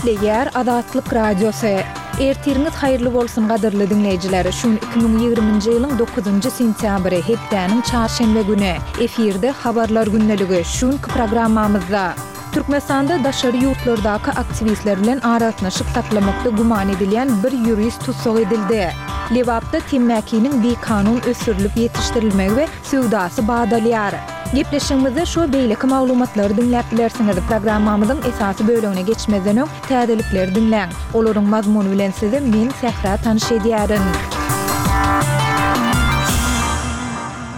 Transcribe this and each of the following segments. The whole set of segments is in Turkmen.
Gepleýär Azatlyk Radiosy. Ertiriňiz haýyrly bolsun gadyrly diňleýjiler! Şu gün 2020-nji ýylyň dokuzynjy sentýabry, hepdäniň çarşenbe güni. Efirde Habarlar gündeligi. Şu günki programmamyzda. Türkmenistanda daşary ýurtlardaky aktiwistler bilen aragatnaşyk saklamakda güman edilýän bir ýurist tussag edildi. Lebapda temmäkiniň bikanun ösdürilip ýetişdirilmegi we söwdasy badalýar. Gepleşigimizde şu we beýleki maglumatlary diňläp bilersiňiz. Programmamyzyň esasy bölegine geçmezden öň, täzelikleri diňläň. Olaryň mazmuny bilen sizi men, Sähra tanyş edýärin.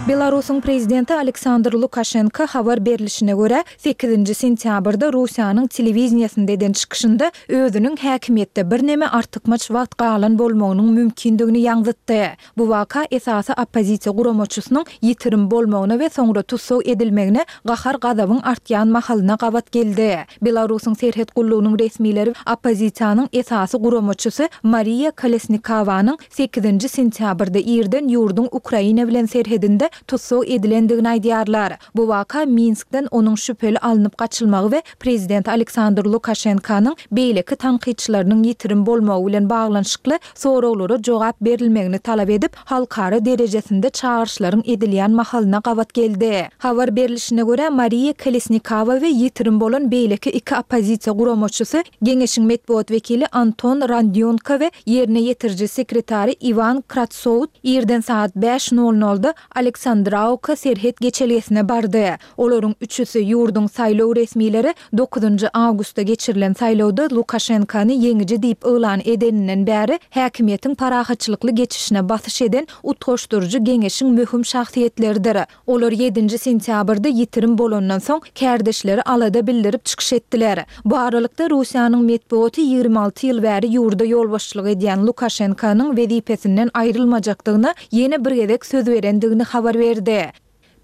Belarusyň prezidenti Aleksandr Lukaşenko habar berlişine görä, sekizinji sentýabrda Russiýanyň telewideniýesinde eden çykyşynda özüniň häkimiýetde birneme artykmaç wagt galan bolmagynyň mümkindigini ýaňzytdy. Bu waka esasy oppozisiýa guramaçysynyň ýitirim bolmagyna we soňra tussag edilmegine gahar-gazabyň artýan mahalyna gabat geldi. Belarusyň serhet gullugynyň resmileri oppozisiýanyň esasy guramaçysy Mariýa Kolesnikowanyň sekizinji sentýabrda irden ýurduň Ukraina bilen serhedinde tussag edilendigini aýdýarlar. Bu waka Minskden onuň şübheli alnyp gaçylmagy we prezident Aleksandr Lukaşenkanyň beýleki tankytçylarynyň ýitirim bolmagy bilen baglanyşykly soraglara jogap berilmegini talap edip, halkara derejesinde çagyryşlaryň edilýän mahalyna gabat geldi. Habar berlişine görä, Mariýa Kolesnikowa we ýitirim bolan beýleki iki oppozisiýa guramaçysy, Geňeşiň metbugat wekili Anton Randýonko we ýerine ýetiriji sekretary Iwan Kratsowt irden sagat bäş nol nolda Aleksandrawka serhet geçelgesine bardy. Olaryň üçüsi, ýurduň saýlaw resmileri dokuzynjy awgustda geçirilen saýlawda Lukaşenkony ýeňiji diýip yglan edeninden bäri häkimiýetiň parahatçylykly geçişine basyş eden Utgaşdyryjy geňeşiň möhüm şahsyýetleridir. Olar ýedinji sentýabrda ýitirim bolandan soň, kärdeşleri alada bildirip çykyş etdiler. Bu aralykda, Russiýanyň metbugaty 26 ýyl bäri ýurda ýolbaşçylyk edýän Lukaşenkonyň wezipesinden aýrylmajakdygyna ýene bir gezek söz berendigini habar berdi.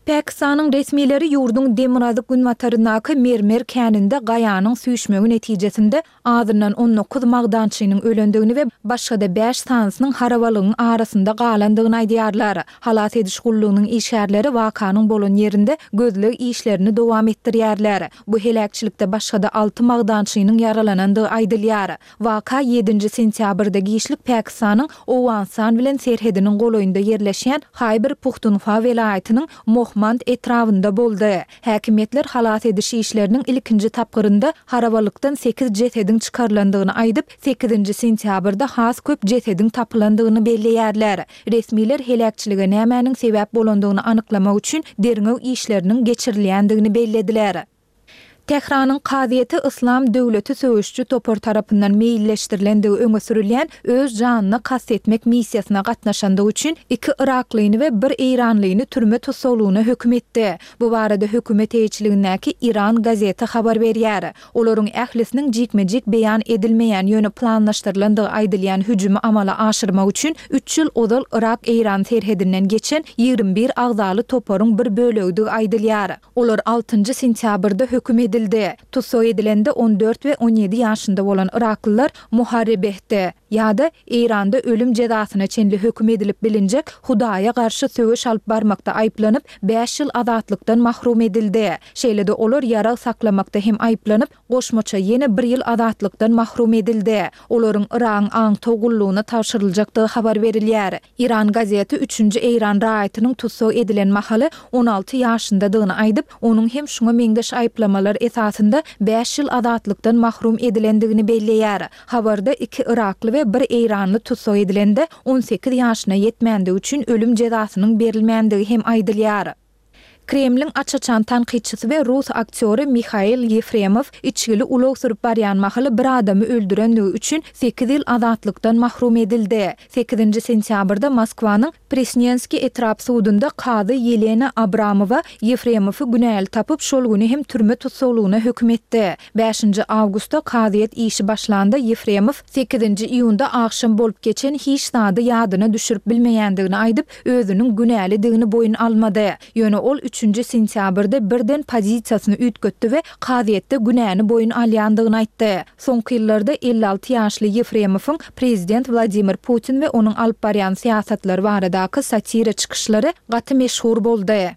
Pakistanyň resmileri ýurduň demirgazyk-günbataryndaky mermer käninde gaýanyň süýşmegi netijesinde azyndan 19 magdançynyň ölendigini we başga-da bäş sanysynyň harabalygyň arasynda galandygyny aýdýarlar. Halas ediş gullugynyň işgärleri wakanyň bolan ýerinde gözleg işlerini dowam etdirýärler. Bu heläkçilikde başga-da alty magdançynyň ýaralanandygy aýdylýar. Waka ýedinji sentýabrda giçlik Pakistanyň Owganystan bilen serhediniň golaýynda ýerleşýän Haýber-Puhtunhwa welaýatynyň Mohmand etrabynda boldy. Häkimiýetler halas ediş işleriniň ilkinji tapgyrynda harabalykdan sekiz jesediň çykarylandygyny aýdyp, sekizinji sentýabrda has köp jesediň tapylandygyny belleýärler. Resmiler heläkçilige nämäniň sebäp bolandygyny anyklamak üçin derňew işleriniň geçirilýändigini bellediler. Tähranyň kazyýeti Yslam döwleti söweşiji topar tarapyndan meýilleşdirilendigi öňe sürülýän öz janyna kast etmek missiýasyna gatnaşandygy üçin iki yraklyny we bir eýranlyny türme tussaglygyna höküm etdi. Bu barada hökümet eýeçiligindäki Iran gazeti habar berýär. Olaryň ählisiniň jikme-jik beýan edilmeýän, ýöne planlaşdyrylandygy aýdylýan hüjümi amala aşyrmak üçin üç ýyl ozal Yrak-Eýran serhedinden geçen 21 agzaly toparyň bir bölegidigi aýdylýar. Olar altynjy sentýabrda höküm edildi. Tussag edilende 14 we 17 ýaşynda bolan yraklylar Muharrebehde, ýa-da Eýranda ölüm jezasyna çenli höküm edilip bilinjek Hudaýa garşy söweş alyp barmakda aýyplanyp, bäş ýyl azatlykdan mahrum edildi. Şeýle-de olar ýarag saklamakda hem aýyplanyp, goşmaça ýene bir ýyl azatlykdan mahrum edildi. Olaryň Yragyň aňtaw gullugyna tabşyryljakdygy habar berilýär. Iran gazeti üçünji eýran raýatynyň tussag edilen mahaly 16 ýaşyndadygyny aýdyp, onuň hem şuňa meňzeş aýyplamalar esasynda bäş ýyl azatlykdan mahrum edilendigini belleýär. Habarda iki yrakly we bir eýranly tussag edilende 18 ýaşyna ýetmändigi üçin ölüm jezasynyň berilmändigi hem aýdylýar. Kremliň aç-açan tankytçysy we rus aktýory Mihail Ýefremow içgili ulag sürüp barýan mahaly bir adamy öldürenligi üçin sekiz ýyl azatlykdan mahrum edildi. Sekizinji sentýabrda Moskwanyň Presnenskiý etrap sudunda kazy Ýelena Abramowa Ýefremowy günäli tapyp, şol güni hem türme tussaglygyna höküm etdi. Bäşinji awgustda kazyýet işi başlanda Ýefremow sekizinji iýunda agşam bolup geçen hiç zady ýadyna düşürip bilmeýändigini aýdyp, özüniň günälidigini boýun almady. Ýöne ol üçünji sentýabrda birden pozisiýasyny üýtgetdi we kazyýetde günäni boýun alýandygyny aýtdy. Soňky ýyllarda 56 ýaşly Ýefremowyň prezident Wladimir Putin we onuň alyp barýan syýasatlary baradaky satira çykyşlary gaty meşhur boldy.